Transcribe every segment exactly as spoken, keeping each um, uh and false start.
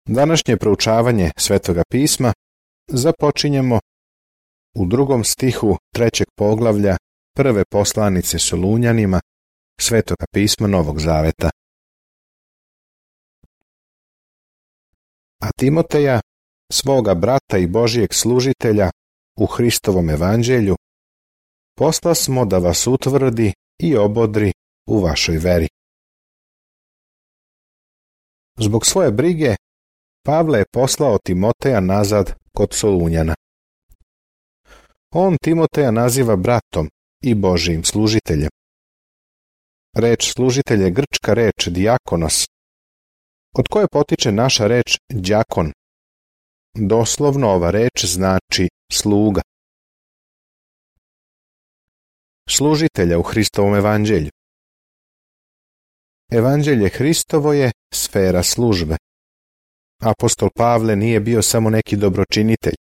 Današnje proučavanje Svetoga pisma započinjemo u drugom stihu trećeg poglavlja prve poslanice Solunjanima Svetoga pisma Novog Zaveta. A Timoteja, svoga brata i Božijeg služitelja u Hristovom evanđelju, poslasmo da vas utvrdi i obodri u vašoj veri. Zbog svoje brige Pavle je poslao Timoteja nazad kod Solunjana. On Timoteja naziva bratom i Božijim služiteljem. Reč služitelj je grčka reč dijakonos, od koje potiče naša reč đakon. Doslovno ova reč znači sluga. Služitelja u Hristovom evanđelju. Evanđelje Hristovo je sfera službe. Apostol Pavle nije bio samo neki dobročinitelj.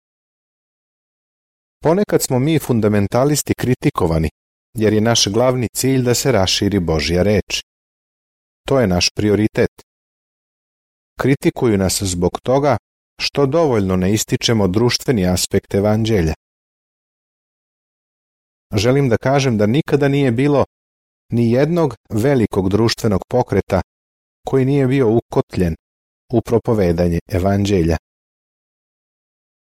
Ponekad smo mi fundamentalisti kritikovani, jer je naš glavni cilj da se raširi Božja reč. To je naš prioritet. Kritikuju nas zbog toga što dovoljno ne ističemo društveni aspekt evanđelja. Želim da kažem da nikada nije bilo ni jednog velikog društvenog pokreta koji nije bio ukotljen u propovedanje evanđelja.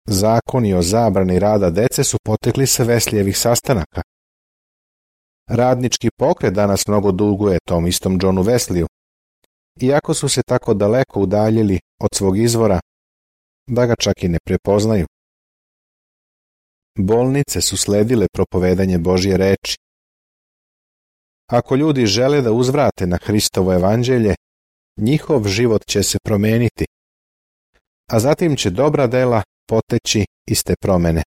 Zakoni o zabrani rada dece su potekli sa Veslijevih sastanaka. Radnički pokret danas mnogo duguje tom istom Johnu Wesliju, iako su se tako daleko udaljili od svog izvora da ga čak i ne prepoznaju. Bolnice su sledile propovedanje Božje reči. Ako ljudi žele da uzvrate na Hristovo evanđelje, njihov život će se promeniti, a zatim će dobra dela poteći iz te promene.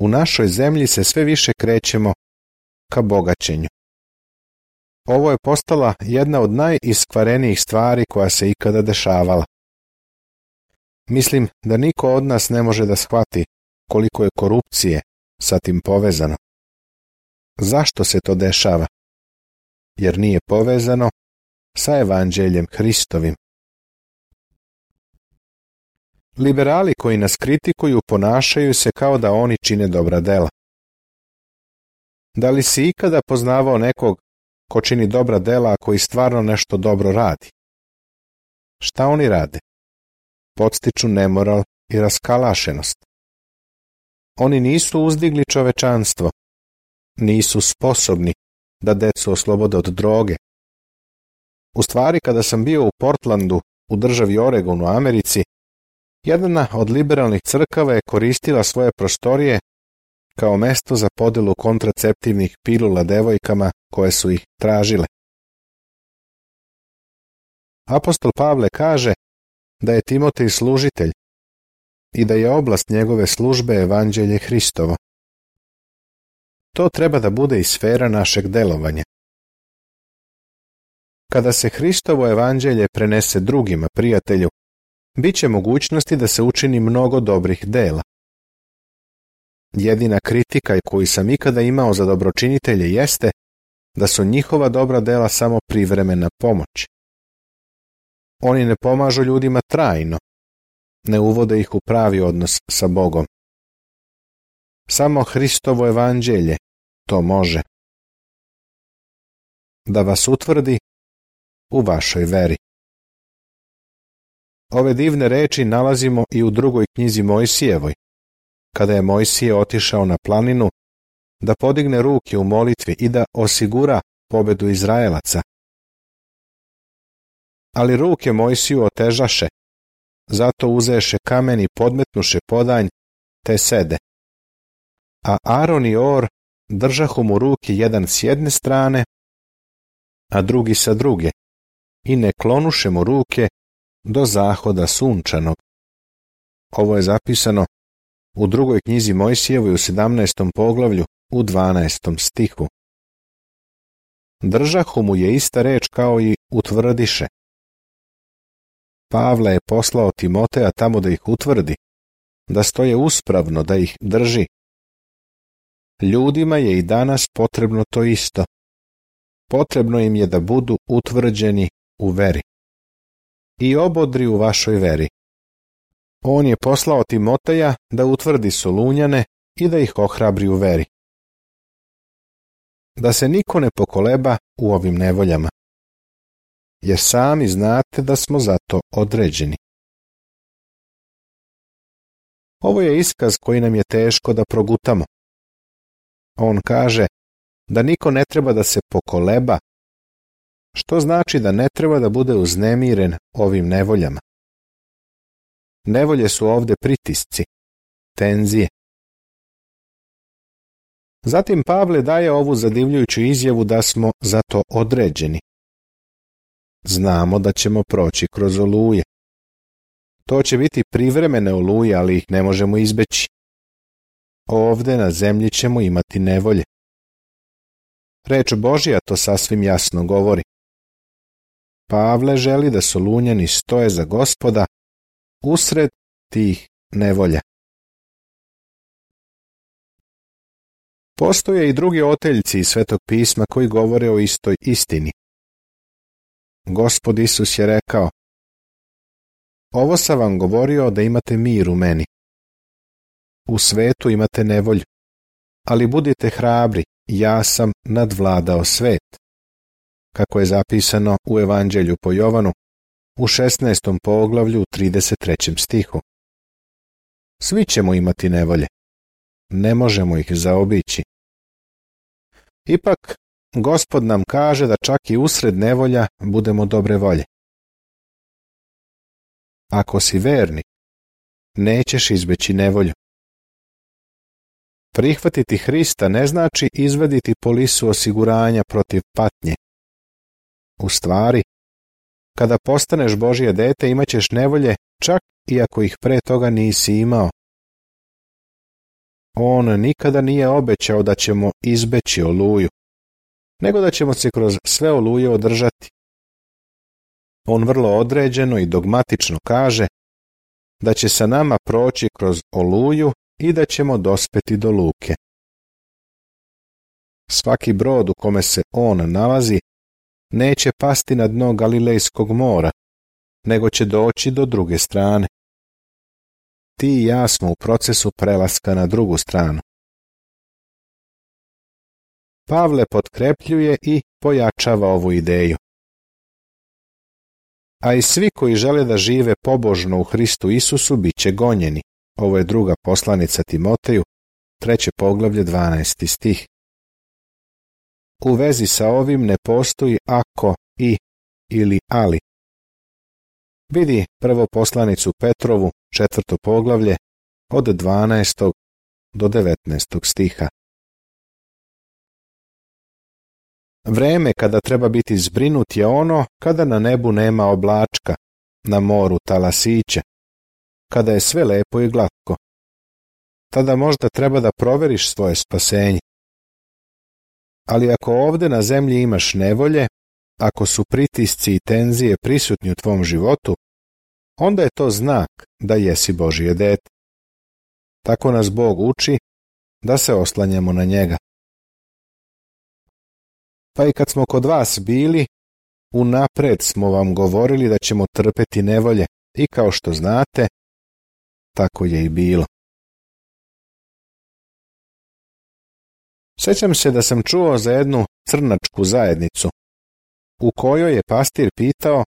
U našoj zemlji se sve više krećemo ka bogaćenju. Ovo je postala jedna od najiskvarenijih stvari koja se ikada dešavala. Mislim da niko od nas ne može da shvati koliko je korupcije sa tim povezano. Zašto se to dešava? Jer nije povezano sa evanđeljem Hristovim. Liberali koji nas kritikuju ponašaju se kao da oni čine dobra dela. Da li si ikada poznavao nekog ko čini dobra dela, a koji stvarno nešto dobro radi? Šta oni rade? Podstiču nemoral i raskalašenost. Oni nisu uzdigli čovečanstvo, nisu sposobni da decu oslobode od droge. U stvari, kada sam bio u Portlandu, u državi Oregon u Americi, jedna od liberalnih crkava je koristila svoje prostorije kao mesto za podelu kontraceptivnih pilula devojkama koje su ih tražile. Apostol Pavle kaže da je Timotej služitelj i da je oblast njegove službe evanđelje Hristovo. To treba da bude i sfera našeg delovanja. Kada se Hristovo evanđelje prenese drugima, prijatelju, bit će mogućnosti da se učini mnogo dobrih dela. Jedina kritika koju sam ikada imao za dobročinitelje jeste da su njihova dobra dela samo privremena pomoć. Oni ne pomažu ljudima trajno, ne uvode ih u pravi odnos sa Bogom. Samo Hristovo evanđelje to može. Da vas utvrdi u vašoj veri. Ove divne reči nalazimo i u drugoj knjizi Mojsijevoj, kada je Mojsije otišao na planinu da podigne ruke u molitvi i da osigura pobedu Izraelaca. Ali ruke Mojsiju otežaše, zato uzeše kamen i podmetnuše podanj, te sede. A Aron i Or držahu mu ruke jedan s jedne strane, a drugi sa druge, i ne klonuše mu ruke do zahoda sunčanog. Ovo je zapisano u drugoj knjizi Mojsijevoj u sedamnaestom poglavlju u dvanaestom stihu. Držahu mu je ista reč kao i utvrdiše. Pavle je poslao Timoteja tamo da ih utvrdi, da stoje uspravno, da ih drži. Ljudima je i danas potrebno to isto. Potrebno im je da budu utvrđeni u veri. i obodri u vašoj veri. On je poslao Timoteja da utvrdi Solunjane i da ih ohrabri u veri. Da se niko ne pokoleba u ovim nevoljama, jer sami znate da smo za to određeni. Ovo je iskaz koji nam je teško da progutamo. On kaže da niko ne treba da se pokoleba, što znači da ne treba da bude uznemiren ovim nevoljama. Nevolje su ovde pritisci, tenzije. Zatim Pavle daje ovu zadivljujuću izjavu da smo za to određeni. Znamo da ćemo proći kroz oluje. To će biti privremene oluje, ali ih ne možemo izbeći. Ovde na zemlji ćemo imati nevolje. Reč Božja to sasvim jasno govori. Pavle želi da Solunjani stoje za Gospoda usred tih nevolja. Postoje i drugi oteljci iz Svetog pisma koji govore o istoj istini. Gospod Isus je rekao: ovo sam vam govorio da imate mir u meni. U svetu imate nevolju, ali budite hrabri, ja sam nadvladao svet. Kako je zapisano u Evanđelju po Jovanu, u šesnaestom poglavlju, trideset trećem stihu. Svi ćemo imati nevolje. Ne možemo ih zaobići. Ipak, Gospod nam kaže da čak i usred nevolja budemo dobre volje. Ako si vernik, nećeš izbeći nevolju. Prihvatiti Hrista ne znači izvaditi polisu osiguranja protiv patnje. U stvari, kada postaneš Božje dete, imat ćeš nevolje čak i ako ih pre toga nisi imao. On nikada nije obećao da ćemo izbeći oluju, nego da ćemo se kroz sve oluje održati. On vrlo određeno i dogmatično kaže da će sa nama proći kroz oluju i da ćemo dospeti do luke. Svaki brod u kome se on nalazi neće pasti na dno Galilejskog mora, nego će doći do druge strane. Ti i ja smo u procesu prelaska na drugu stranu. Pavle potkrepljuje i pojačava ovu ideju. A i svi koji žele da žive pobožno u Hristu Isusu bit će gonjeni. Ovo je druga poslanica Timoteju, treće poglavlje, dvanaesti stih. U vezi sa ovim ne postoji ako, i ili ali. Vidi prvo poslanicu Petrovu, četvrto poglavlje, od dvanaestog do devetnaestog stiha. Vreme kada treba biti zbrinut je ono kada na nebu nema oblačka, na moru talasića, kada je sve lepo i glatko. Tada možda treba da proveriš svoje spasenje. Ali ako ovde na zemlji imaš nevolje, ako su pritisci i tenzije prisutni u tvom životu, onda je to znak da jesi Božje dete. Tako nas Bog uči da se oslanjamo na njega. Pa i kad smo kod vas bili, unapred smo vam govorili da ćemo trpeti nevolje i kao što znate, tako je i bilo. Sjećam se da sam čuo za jednu crnačku zajednicu, u kojoj je pastir pitao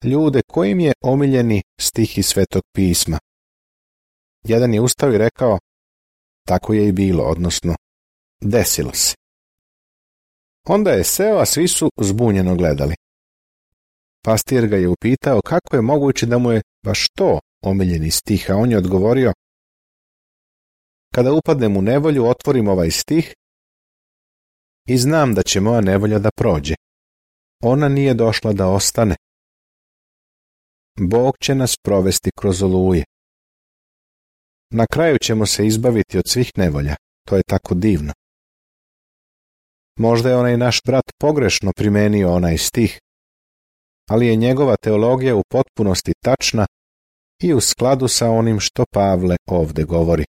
ljude kojim je omiljeni stih iz Svetog pisma. Jedan je ustao i rekao, tako je i bilo, odnosno, desilo se. Onda je seo, a svi su zbunjeno gledali. Pastir ga je upitao kako je moguće da mu je baš to omiljeni stih, a on je odgovorio, kada upadnem u nevolju, otvorim ovaj stih i znam da će moja nevolja da prođe. Ona nije došla da ostane. Bog će nas provesti kroz oluje. Na kraju ćemo se izbaviti od svih nevolja. To je tako divno. Možda je onaj naš brat pogrešno primenio onaj stih, ali je njegova teologija u potpunosti tačna i u skladu sa onim što Pavle ovde govori.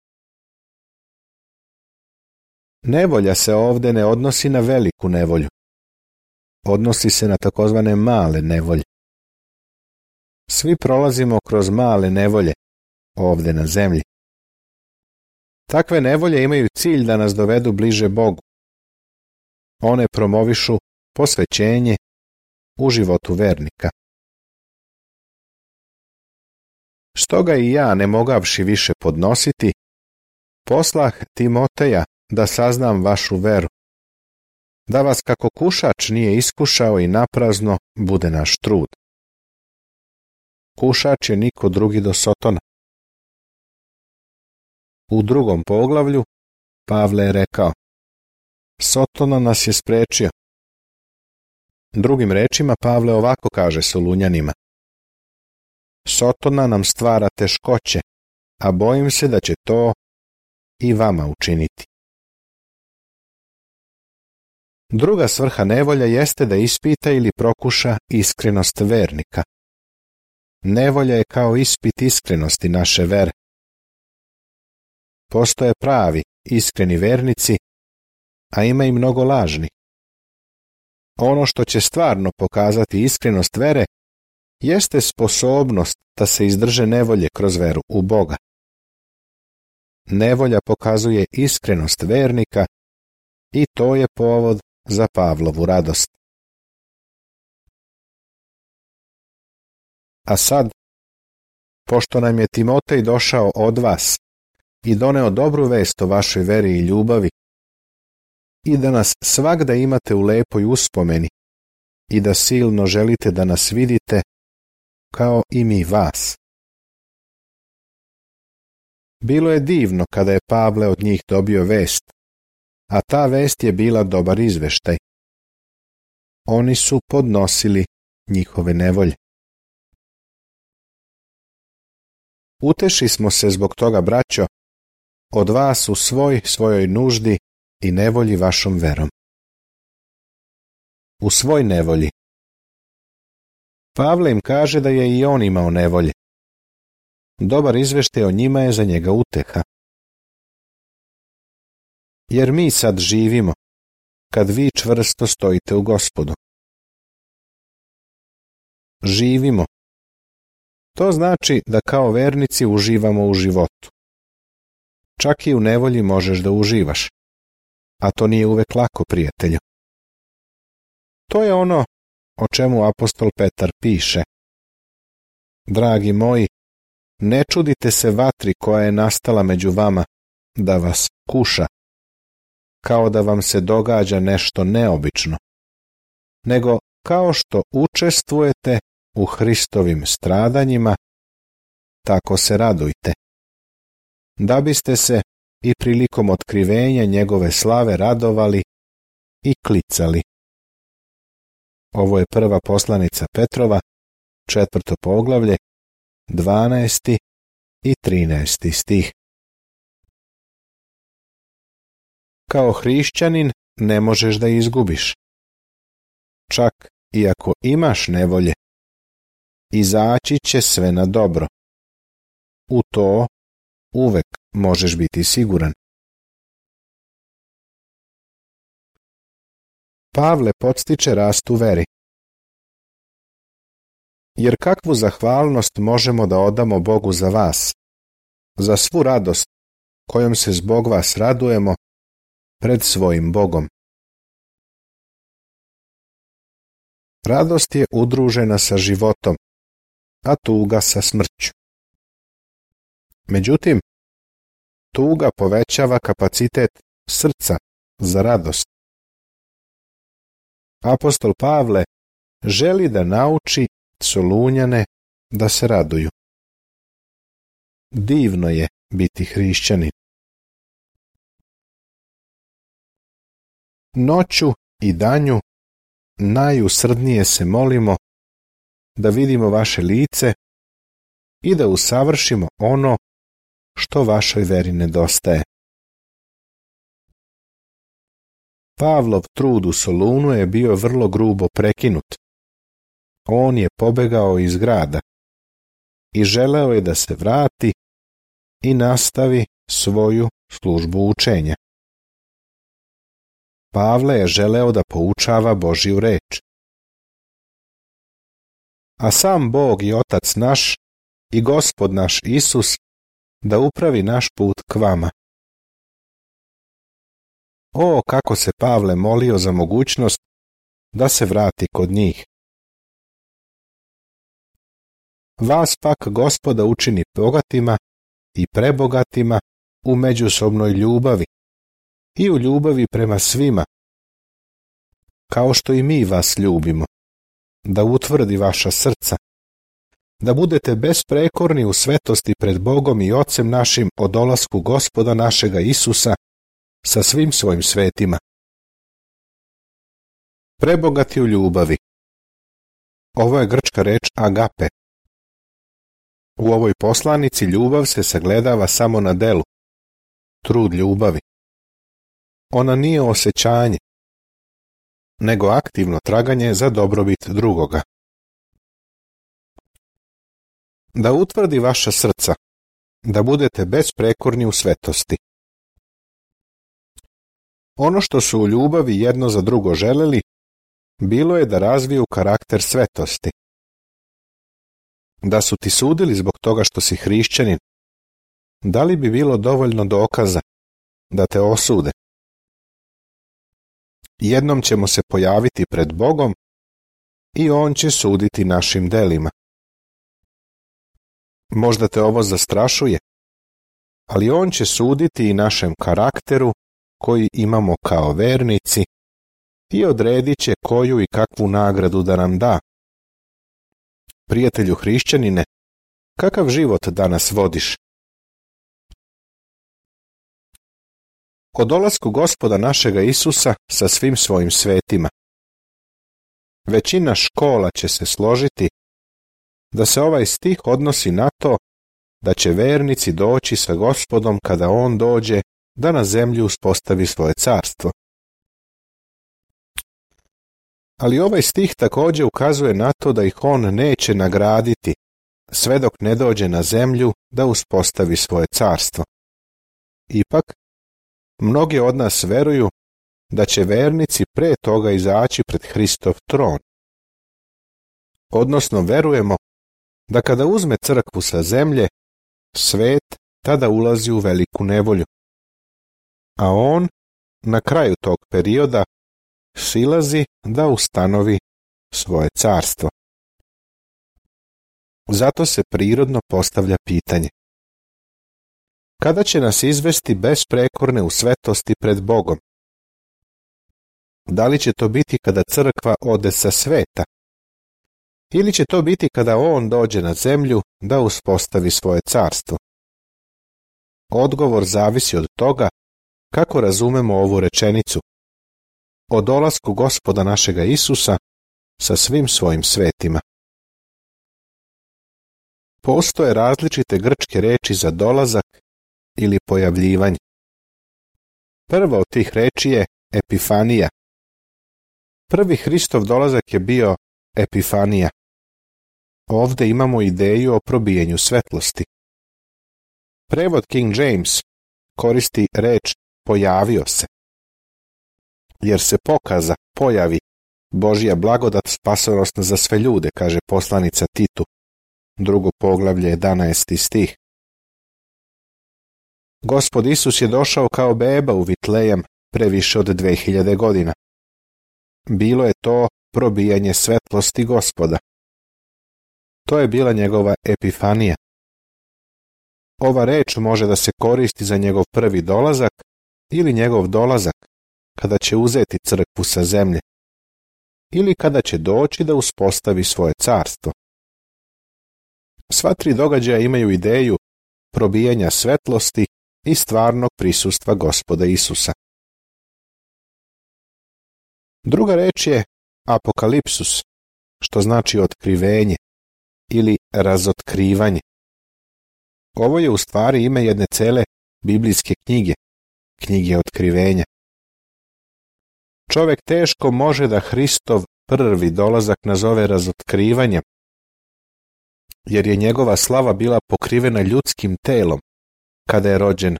Nevolja se ovde ne odnosi na veliku nevolju. Odnosi se na takozvane male nevolje. Svi prolazimo kroz male nevolje ovdje na zemlji. Takve nevolje imaju cilj da nas dovedu bliže Bogu. One promovišu posvećenje u životu vernika. Stoga i ja, ne mogavši više podnositi, poslah Timoteja da saznam vašu veru, da vas kako kušač nije iskušao i naprazno bude naš trud. Kušač je niko drugi do Sotona. U drugom poglavlju Pavle je rekao: Sotona nas je sprečio. Drugim rečima Pavle ovako kaže Solunjanima: Sotona nam stvara teškoće, a bojim se da će to i vama učiniti. Druga svrha nevolja jeste da ispita ili prokuša iskrenost vernika. Nevolja je kao ispit iskrenosti naše vere. Postoje pravi, iskreni vernici, a ima i mnogo lažnih. Ono što će stvarno pokazati iskrenost vere jeste sposobnost da se izdrže nevolje kroz veru u Boga. Nevolja pokazuje iskrenost vernika i to je povod za Pavlovu radost. A sad, pošto nam je Timotej došao od vas i doneo dobru vest o vašoj veri i ljubavi, i da nas svagda imate u lepoj uspomeni i da silno želite da nas vidite kao i mi vas. Bilo je divno kada je Pavle od njih dobio vest, a ta vest je bila dobar izveštaj. Oni su podnosili njihove nevolje. Uteši smo se zbog toga, braćo, od vas u svoj svojoj nuždi i nevolji vašom verom. U svoj nevolji. Pavle im kaže da je i on imao nevolje. Dobar izveštaj o njima je za njega uteha. Jer mi sad živimo, kad vi čvrsto stojite u Gospodu. Živimo. To znači da kao vernici uživamo u životu. Čak i u nevolji možeš da uživaš, a to nije uvek lako, prijatelju. To je ono o čemu apostol Petar piše: Dragi moji, ne čudite se vatri koja je nastala među vama da vas kuša, kao da vam se događa nešto neobično, nego kao što učestvujete u Hristovim stradanjima, tako se radujte, da biste se i prilikom otkrivenja njegove slave radovali i klicali. Ovo je prva poslanica Petrova, četvrto poglavlje, dvanaesti i trinaesti stih. Kao hrišćanin ne možeš da izgubiš. Čak i ako imaš nevolje, izaći će sve na dobro. U to uvek možeš biti siguran. Pavle podstiče rast u veri. Jer kakvu zahvalnost možemo da odamo Bogu za vas, za svu radost kojom se zbog vas radujemo pred svojim Bogom. Radost je udružena sa životom, a tuga sa smrću. Međutim, tuga povećava kapacitet srca za radost. Apostol Pavle želi da nauči Solunjane da se raduju. Divno je biti hrišćanin. Noću i danju najusrdnije se molimo da vidimo vaše lice i da usavršimo ono što vašoj veri nedostaje. Pavlov trud u Solunu je bio vrlo grubo prekinut. On je pobegao iz grada i želeo je da se vrati i nastavi svoju službu učenja. Pavle je želeo da poučava Božju reč. a sam Bog i Otac naš i Gospod naš Isus da upravi naš put k vama. O, kako se Pavle molio za mogućnost da se vrati kod njih. Vas pak Gospoda učini bogatima i prebogatima u međusobnoj ljubavi i u ljubavi prema svima, kao što i mi vas ljubimo, da utvrdi vaša srca, da budete besprekorni u svetosti pred Bogom i Ocem našim o dolasku Gospoda našega Isusa sa svim svojim svetima. Prebogati u ljubavi. Ovo je grčka reč agape. U ovoj poslanici ljubav se sagledava samo na delu, trud ljubavi. Ona nije osjećanje, nego aktivno traganje za dobrobit drugoga. Da utvrdi vaša srca, da budete besprekorni u svetosti. Ono što su u ljubavi jedno za drugo želeli, bilo je da razviju karakter svetosti. Da su ti sudili zbog toga što si hrišćanin, da li bi bilo dovoljno dokaza da te osude? Jednom ćemo se pojaviti pred Bogom i On će suditi našim delima. Možda te ovo zastrašuje, ali On će suditi i našem karakteru koji imamo kao vernici i odredit će koju i kakvu nagradu da nam da. Prijatelju hrišćanine, kakav život danas vodiš? O dolasku Gospoda našega Isusa sa svim svojim svetima. Većina škola će se složiti da se ovaj stih odnosi na to da će vernici doći sa Gospodom kada On dođe da na zemlji uspostavi svoje carstvo. Ali ovaj stih također ukazuje na to da ih On neće nagraditi sve dok ne dođe na zemlju da uspostavi svoje carstvo. Ipak, mnogi od nas veruju da će vernici pre toga izaći pred Hristov tron. Odnosno verujemo da kada uzme crkvu sa zemlje, svet tada ulazi u veliku nevolju. A On, na kraju tog perioda, silazi da ustanovi svoje carstvo. Zato se prirodno postavlja pitanje: kada će nas izvesti besprekorne u svetosti pred Bogom? Da li će to biti kada crkva ode sa sveta? Ili će to biti kada On dođe na zemlju da uspostavi svoje carstvo? Odgovor zavisi od toga kako razumemo ovu rečenicu o dolasku Gospoda našega Isusa sa svim svojim svetima. Postoje različite grčke reči za dolazak ili pojavljivanje. Prva od tih reči je epifanija. Prvi Hristov dolazak je bio epifanija. Ovdje imamo ideju o probijanju svetlosti. Prevod King James koristi reč pojavio se. Jer se pokaza, pojavi, Božja blagodat spasonosna za sve ljude, kaže poslanica Titu, drugo poglavlje, jedanaesti stih. Gospod Isus je došao kao beba u Vitlejem pre više od dve hiljade godina. Bilo je to probijanje svetlosti Gospoda. To je bila njegova epifanija. Ova reč može da se koristi za njegov prvi dolazak ili njegov dolazak, kada će uzeti crkvu sa zemlje, ili kada će doći da uspostavi svoje carstvo. Sva tri događaja imaju ideju probijanja svetlosti i stvarnog prisustva Gospoda Isusa. Druga reč je apokalipsus, što znači otkrivenje ili razotkrivanje. Ovo je u stvari ime jedne cele biblijske knjige, knjige otkrivenja. Čovjek teško može da Hristov prvi dolazak nazove razotkrivanjem, jer je njegova slava bila pokrivena ljudskim telom kada je rođen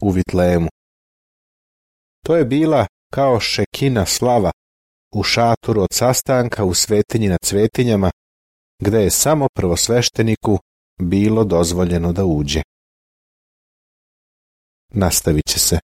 u Vitlejemu. To je bila kao šekina slava u šatoru od sastanka u svetinji nad svetinjama gde je samo prvosvešteniku bilo dozvoljeno da uđe. Nastavit će se.